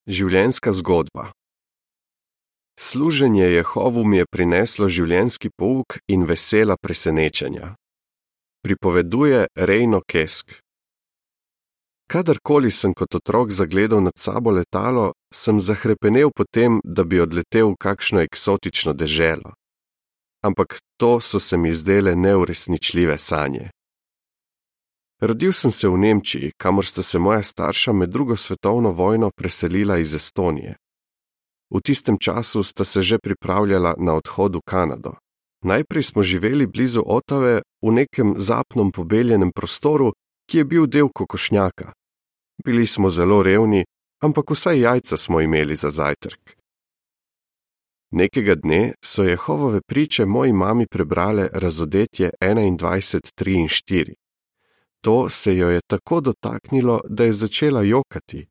Življenjska zgodba. Služenje Jehovu mi je prineslo življenjski pouk in vesela presenečenja. Pripoveduje Reino Kesk. Kadarkoli sem kot otrok zagledal nad sabo letalo, sem zahrepenel potem, da bi odletel v kakšno eksotično deželo. Ampak to so se mi zdele neuresničljive sanje. Rodil sem se v Nemčiji, kamor sta se moja starša med drugo svetovno vojno preselila iz Estonije. V tistem času sta se že pripravljala na odhod v Kanado. Najprej smo živeli blizu Otave v nekem zapnom pobeljenem prostoru, ki je bil del kokošnjaka. Bili smo zelo revni, ampak vsaj jajca smo imeli za zajtrk. Nekega dne so Jehovove priče moji mami prebrale Razodetje 21, 3 in 4. To se jo je tako dotaknilo, da je začela jokati.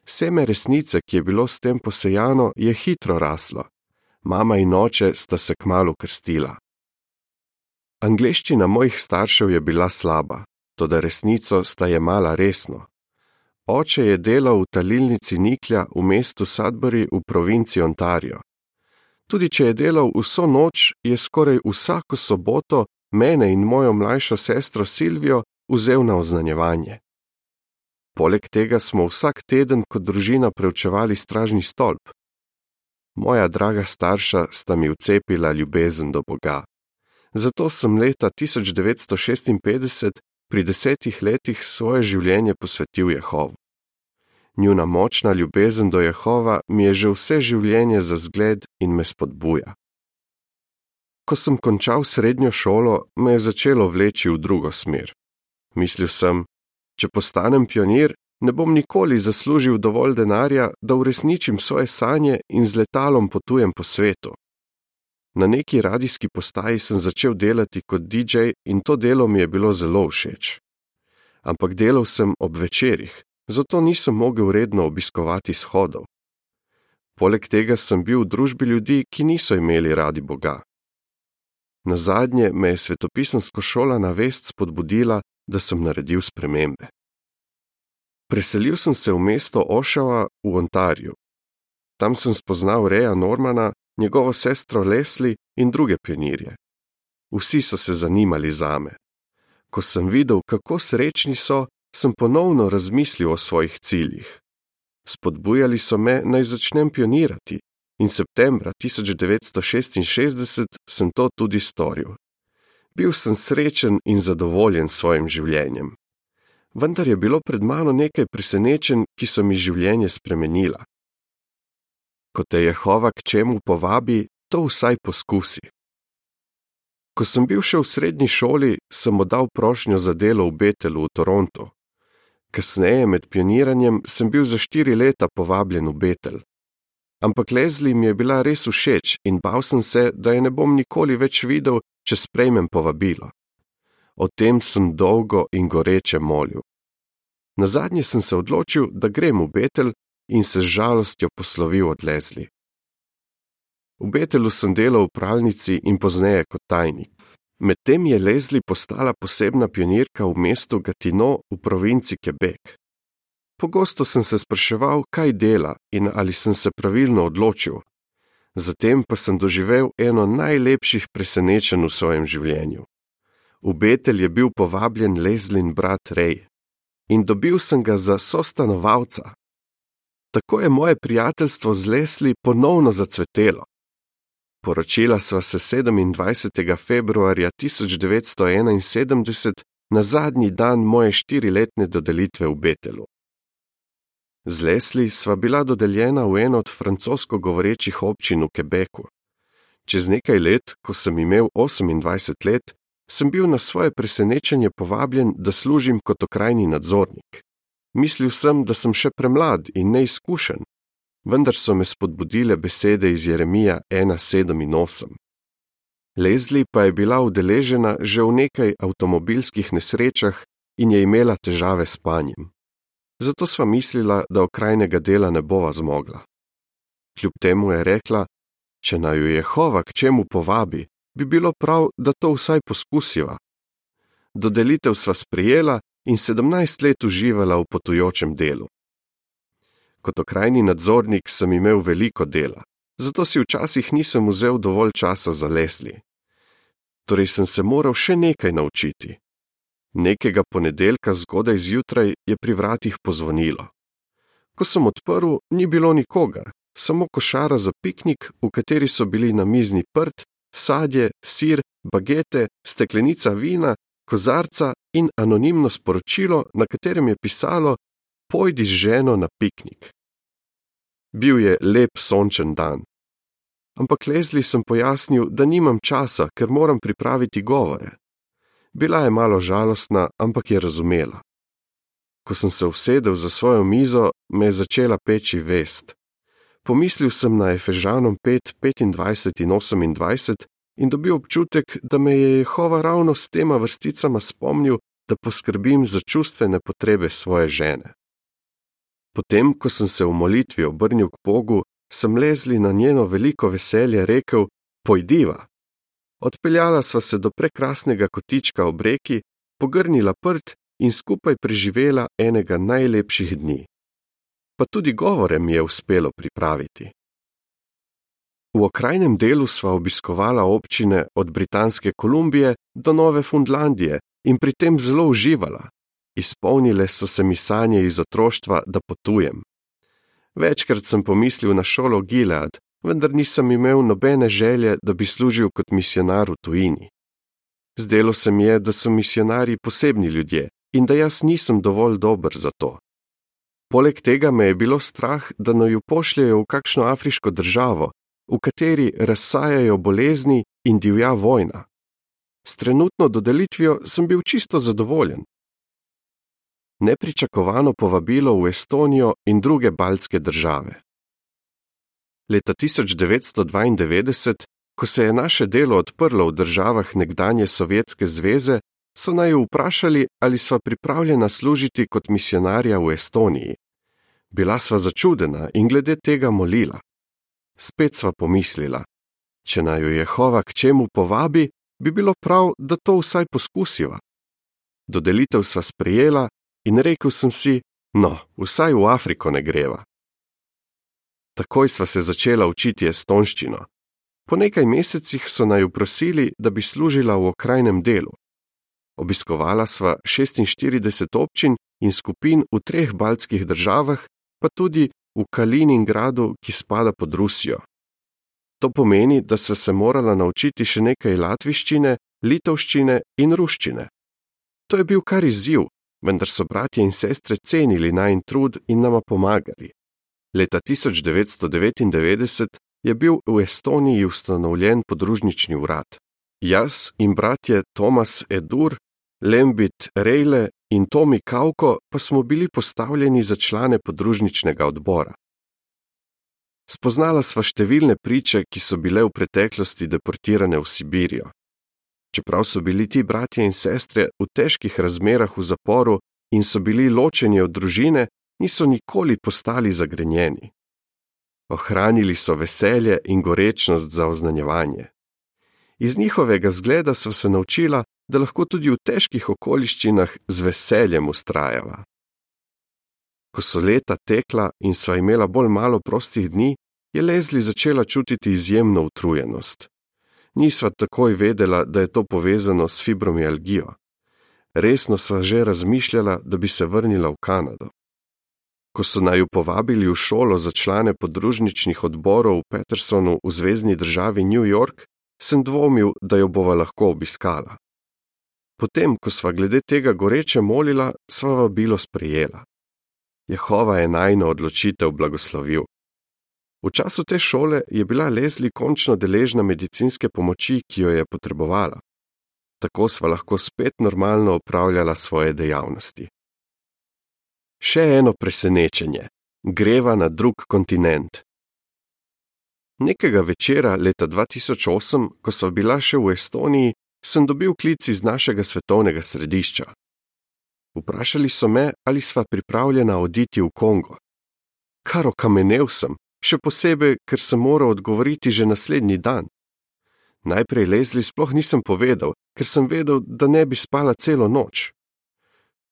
Seme resnice, ki je bilo s tem posejano, je hitro raslo. Mama in oče sta se kmalu krstila. Angleščina mojih staršev je bila slaba, toda resnico sta jemala resno. Oče je delal v talilnici niklja v mestu Sudbury v provinci Ontario. Tudi če je delal vso noč, je skoraj vsako soboto mene in mojo mlajšo sestro Silvijo vzel na oznanjevanje. Poleg tega smo vsak teden kot družina preučevali stražni stolp. Moja draga starša sta mi vcepila ljubezen do Boga. Zato sem leta 1956 pri 10 letih svoje življenje posvetil Jehovu. Njuna močna ljubezen do Jehova mi je že vse življenje za zgled in me spodbuja. Ko sem končal srednjo šolo, me je začelo vleči v drugo smer. Mislil sem, če postanem pionir, ne bom nikoli zaslužil dovolj denarja, da uresničim svoje sanje in z letalom potujem po svetu. Na neki radijski postaji sem začel delati kot DJ in to delo mi je bilo zelo všeč. Ampak delal sem ob večerih, zato nisem mogel redno obiskovati shodov. Poleg tega sem bil v družbi ljudi, ki niso imeli radi Boga. Nazadnje me je svetopisemska šola na vest spodbudila, da sem naredil spremembe. Preselil sem se v mesto Oshawa v Ontariju. Tam sem spoznal Reja Normana, njegovo sestro Leslie in druge pionirje. Vsi so se zanimali zame. Ko sem videl, kako srečni so, sem ponovno razmislil o svojih ciljih. Spodbujali so me, naj začnem pionirati in septembra 1966 sem to tudi storil. Bil sem srečen in zadovoljen s svojim življenjem. Vendar je bilo pred mano nekaj presenečenj, ki so mi življenje spremenila. Ko te Jehova k čemu povabi, to vsaj poskusi. Ko sem bil še v srednji šoli, sem oddal prošnjo za delo v Bethelu v Torontu. Kasneje med pioniranjem sem bil za 4 leta povabljen v Bethel. Ampak Leslie mi je bila res všeč in bal sem se, da je ne bom nikoli več videl, če sprejmem povabilo. O tem sem dolgo in goreče molil. Nazadnje sem se odločil, da grem v Bethel in se z žalostjo poslovil od Leslie. V Bethelu sem delal v pralnici in pozneje kot tajnik. Medtem je Leslie postala posebna pionirka v mestu Gatineau v provinci Quebec. Pogosto sem se spraševal, kaj dela in ali sem se pravilno odločil. Zatem pa sem doživel eno najlepših presenečenj v svojem življenju. V Bethel je bil povabljen Leslin brat Ray in dobil sem ga za sostanovalca. Tako je moje prijateljstvo z Leslie ponovno zacvetelo. Poročila sva se 27. februarja 1971 na zadnji dan moje 4-letne dodelitve v Bethelu. Z Leslie sva bila dodeljena v eno od francosko govorečih občin v Quebecu. Čez nekaj let, ko sem imel 28 let, sem bil na svoje presenečenje povabljen, da služim kot okrajni nadzornik. Mislil sem, da sem še premlad in neizkušen, vendar so me spodbudile besede iz Jeremija 1:7 in 8. Leslie pa je bila udeležena že v nekaj avtomobilskih nesrečah in je imela težave s spanjem. Zato sva mislila, da okrajnega dela ne bova zmogla. Kljub temu je rekla, če naju Jehova k čemu povabi, bi bilo prav, da to vsaj poskusiva. Dodelitev sva sprejela in 17 let uživala v potujočem delu. Kot okrajni nadzornik sem imel veliko dela, zato si včasih nisem vzel dovolj časa za Leslie. Torej sem se moral še nekaj naučiti. Nekega ponedeljka zgodaj zjutraj je pri vratih pozvonilo. Ko sem odprl, ni bilo nikogar, samo košara za piknik, v kateri so bili namizni prt, sadje, sir, bagete, steklenica vina, kozarca in anonimno sporočilo, na katerem je pisalo: Pojdi z ženo na piknik. Bil je lep sončen dan. Ampak Leslie sem pojasnil, da nimam časa, ker moram pripraviti govore. Bila je malo žalostna, ampak je razumela. Ko sem se usedel za svojo mizo, me je začela peči vest. Pomislil sem na Efežanom 5, 25 in 28 in dobil občutek, da me je Jehova ravno s tema vrsticama spomnil, da poskrbim za čustvene potrebe svoje žene. Potem, ko sem se v molitvi obrnil k Bogu, sem Leslie na njeno veliko veselje rekel: Pojdiva. Odpeljala sva se do prekrasnega kotička ob reki, pogrnila prt in skupaj preživela enega najlepših dni. Pa tudi govore mi je uspelo pripraviti. V okrajnem delu sva obiskovala občine od Britanske Kolumbije do Nove Fundlandije in pri tem zelo uživala. Izpolnile so se mi sanje iz otroštva, da potujem. Večkrat sem pomislil na šolo Gilead, vendar nisem imel nobene želje, da bi služil kot misionar v tujini. Zdelo se mi je, da so misionarji posebni ljudje in da jaz nisem dovolj dober za to. Poleg tega me je bilo strah, da naju pošljejo v kakšno afriško državo, v kateri razsajajo bolezni in divja vojna. S trenutno dodelitvijo sem bil čisto zadovoljen. Nepričakovano povabilo v Estonijo in druge baltske države. Leta 1992, ko se je naše delo odprlo v državah nekdanje Sovjetske zveze, so naju vprašali, ali sva pripravljena služiti kot misionarja v Estoniji. Bila sva začudena in glede tega molila. Spet sva pomislila, če naju Jehova k čemu povabi, bi bilo prav, da to vsaj poskusiva. Dodelitev sva sprejela in rekel sem si, vsaj v Afriko ne greva. Takoj sva se začela učiti estonščino. Po nekaj mesecih so naju prosili, da bi služila v okrajnem delu. Obiskovala sva 46 občin in skupin v 3 baltskih državah, pa tudi v Kaliningradu, ki spada pod Rusijo. To pomeni, da sva se morala naučiti še nekaj latviščine, litovščine in ruščine. To je bil kar izziv, vendar so bratje in sestre cenili najin trud in nama pomagali. Leta 1999 je bil v Estoniji ustanovljen podružnični urad. Jaz in bratje Tomas Edur, Lembit Reile in Tomi Kauko pa smo bili postavljeni za člane podružničnega odbora. Spoznala sva številne priče, ki so bile v preteklosti deportirane v Sibirijo. Čeprav so bili ti bratje in sestre v težkih razmerah v zaporu in so bili ločeni od družine, niso nikoli postali zagrenjeni. Ohranili so veselje in gorečnost za oznanjevanje. Iz njihovega zgleda sva se naučila, da lahko tudi v težkih okoliščinah z veseljem vztrajava. Ko so leta tekla in sva imela bolj malo prostih dni, je Leslie začela čutiti izjemno utrujenost. Nisva takoj vedela, da je to povezano s fibromialgijo. Resno sva že razmišljala, da bi se vrnila v Kanado. Ko so naju povabili v šolo za člane podružničnih odborov v Petersonu v zvezni državi New York, sem dvomil, da jo bova lahko obiskala. Potem, ko sva glede tega goreče molila, sva vabilo sprejela. Jehova je najino odločitev blagoslovil. V času te šole je bila Leslie končno deležna medicinske pomoči, ki jo je potrebovala. Tako sva lahko spet normalno opravljala svoje dejavnosti. Še eno presenečenje. Greva na drug kontinent. Nekega večera leta 2008, ko sva bila še v Estoniji, sem dobil klic iz našega svetovnega središča. Vprašali so me, ali sva pripravljena oditi v Kongo. Kar okamenel sem, še posebej, ker sem moral odgovoriti že naslednji dan. Najprej Leslie sploh nisem povedal, ker sem vedel, da ne bi spala celo noč.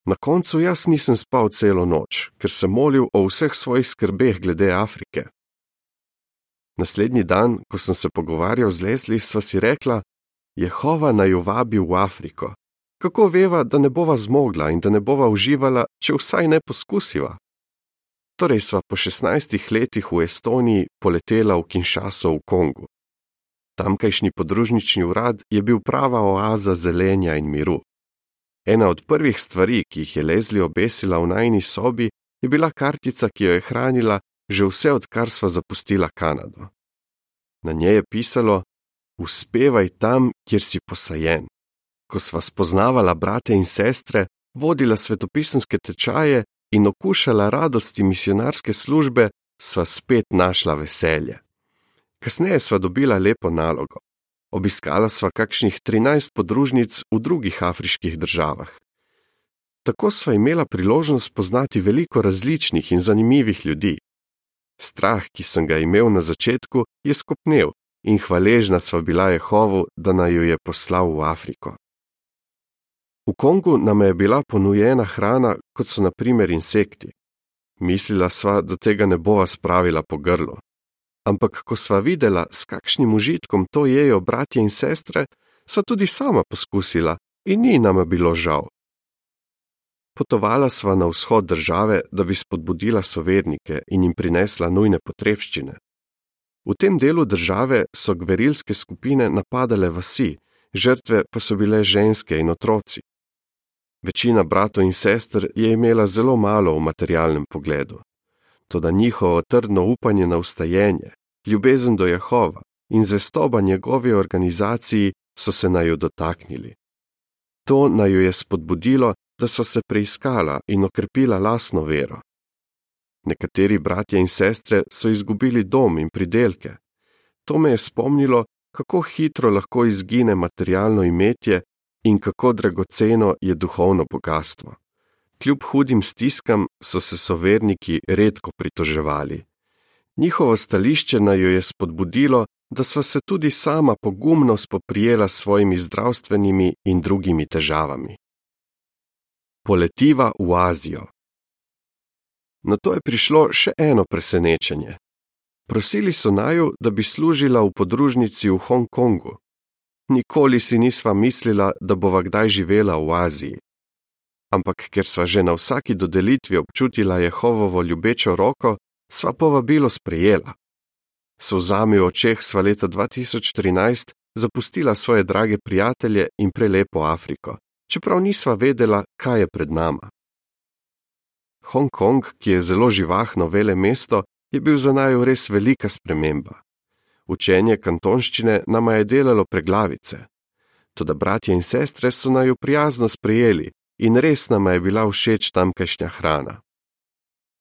Na koncu jaz nisem spal celo noč, ker sem molil o vseh svojih skrbeh glede Afrike. Naslednji dan, ko sem se pogovarjal z Leslie, sva si rekla, Jehova naju vabi v Afriko. Kako veva, da ne bova zmogla in da ne bova uživala, če vsaj ne poskusiva? Torej sva po 16 letih v Estoniji poletela v Kinshaso v Kongu. Tamkajšnji podružnični urad je bil prava oaza zelenja in miru. Ena od prvih stvari, ki jih je Leslie obesila v najini sobi, je bila kartica, ki jo je hranila že vse, odkar sva zapustila Kanado. Na njej je pisalo: Uspevaj tam, kjer si posajen. Ko sva spoznavala brate in sestre, vodila svetopisemske tečaje in okušala radosti misionarske službe, sva spet našla veselje. Kasneje sva dobila lepo nalogo. Obiskala sva kakšnih 13 podružnic v drugih afriških državah. Tako sva imela priložnost poznati veliko različnih in zanimivih ljudi. Strah, ki sem ga imel na začetku, je skopnel in hvaležna sva bila Jehovu, da naju je poslal v Afriko. V Kongu nam je bila ponujena hrana, kot so na primer insekti. Mislila sva, da tega ne bova spravila po grlu. Ampak ko sva videla, s kakšnim užitkom to jejo bratje in sestre, sva tudi sama poskusila in ni nama bilo žal. Potovala sva na vzhod države, da bi spodbudila sovernike in jim prinesla nujne potrebščine. V tem delu države so gverilske skupine napadale vasi, žrtve pa so bile ženske in otroci. Večina bratov in sester je imela zelo malo v materialnem pogledu. Toda njihovo trdno upanje na vstajenje, ljubezen do Jehova in zvestoba njegovi organizaciji so se naju dotaknili. To naju je spodbudilo, da so se preiskala in okrepila lastno vero. Nekateri bratje in sestre so izgubili dom in pridelke. To me je spomnilo, kako hitro lahko izgine materialno imetje in kako dragoceno je duhovno bogastvo. Kljub hudim stiskam so se soverniki redko pritoževali. Njihovo stališče naju je spodbudilo, da sva se tudi sama pogumno spoprijela s svojimi zdravstvenimi in drugimi težavami. Poletiva v Azijo. Nato je prišlo še eno presenečenje. Prosili so naju, da bi služila v podružnici v Hong Kongu. Nikoli si nisva mislila, da bova kdaj živela v Aziji. Ampak ker sva že na vsaki dodelitvi občutila Jehovovo ljubečo roko, sva povabilo sprejela. S solzami v očeh sva leta 2013 zapustila svoje drage prijatelje in prelepo Afriko, čeprav nisva vedela, kaj je pred nama. Hong Kong, ki je zelo živahno velemesto, je bil za naju res velika sprememba. Učenje kantonščine nama je delalo preglavice. Toda bratje in sestre so naju prijazno sprejeli in res nama je bila všeč tamkajšnja hrana.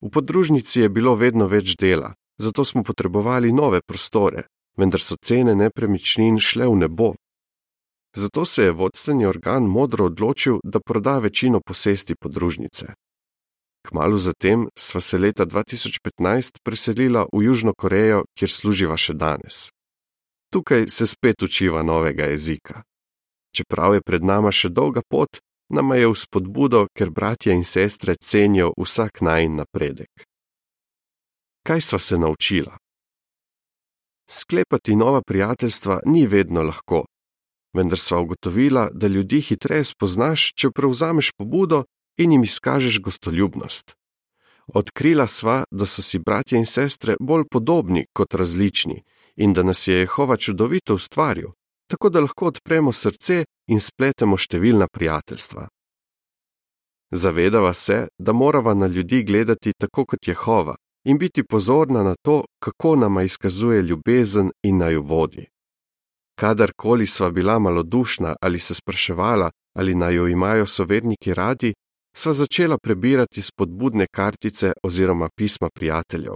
V podružnici je bilo vedno več dela, zato smo potrebovali nove prostore, vendar so cene nepremičnin šle v nebo. Zato se je vodstveni organ modro odločil, da proda večino posesti podružnice. Kmalu zatem sva se leta 2015 preselila v Južno Korejo, kjer služiva še danes. Tukaj se spet učiva novega jezika. Čeprav je pred nama še dolga pot, nama je v spodbudo, ker bratje in sestre cenijo vsak najin napredek. Kaj sva se naučila? Sklepati nova prijateljstva ni vedno lahko, vendar sva ugotovila, da ljudi hitreje spoznaš, če prevzameš pobudo in jim izkažeš gostoljubnost. Odkrila sva, da so si bratje in sestre bolj podobni kot različni in da nas je Jehova čudovito ustvaril, tako da lahko odpremo srce in spletemo številna prijateljstva. Zavedava se, da morava na ljudi gledati tako kot Jehova in biti pozorna na to, kako nama izkazuje ljubezen in naju vodi. Kadarkoli sva bila malodušna ali se spraševala, ali naju imajo soverniki radi, sva začela prebirati spodbudne kartice oziroma pisma prijateljev.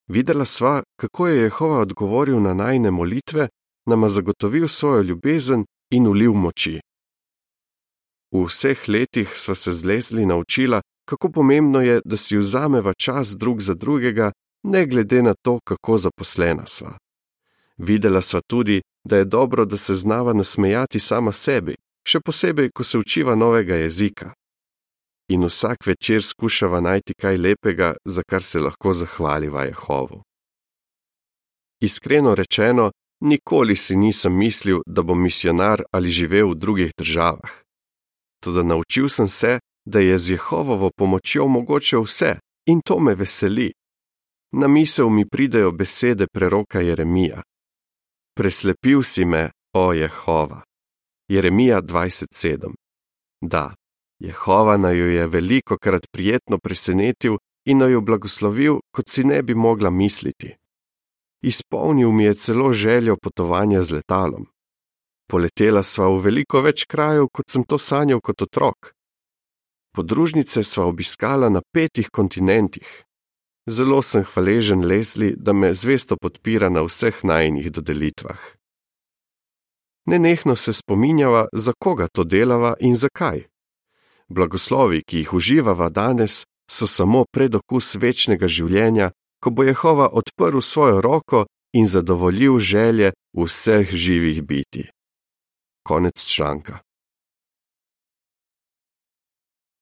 Videla sva, kako je Jehova odgovoril na najine molitve, nama zagotovil svojo ljubezen in ulil moči. V vseh letih sva se z Leslie naučila, kako pomembno je, da si vzameva čas drug za drugega, ne glede na to, kako zaposlena sva. Videla sva tudi, da je dobro, da se znava nasmejati sama sebi, še posebej, ko se učiva novega jezika. in vsak večer skušava najti kaj lepega, za kar se lahko zahvaliva Jehovu. Iskreno rečeno, nikoli si nisem mislil, da bom misijonar ali živel v drugih državah. Toda naučil sem se, da je z Jehovovo pomočjo mogoče vse, in to me veseli. Na misel mi pridejo besede preroka Jeremija. Preslepil si me, o Jehova. Jeremija 27. Da, Jehova naju je velikokrat prijetno presenetil in naju blagoslovil, kot si ne bi mogla misliti. Izpolnil mi je celo željo potovanja z letalom. Poletela sva v veliko več krajev, kot sem to sanjal kot otrok. Podružnice sva obiskala na 5 kontinentih. Zelo sem hvaležen Leslie, da me zvesto podpira na vseh najinih dodelitvah. Nenehno se spominjava, za koga to delava in zakaj. Blagoslovi, ki jih uživava danes, so samo predokus večnega življenja, ko bo Jehova odprl svojo roko in zadovoljil želje vseh živih bitij. Konec članka.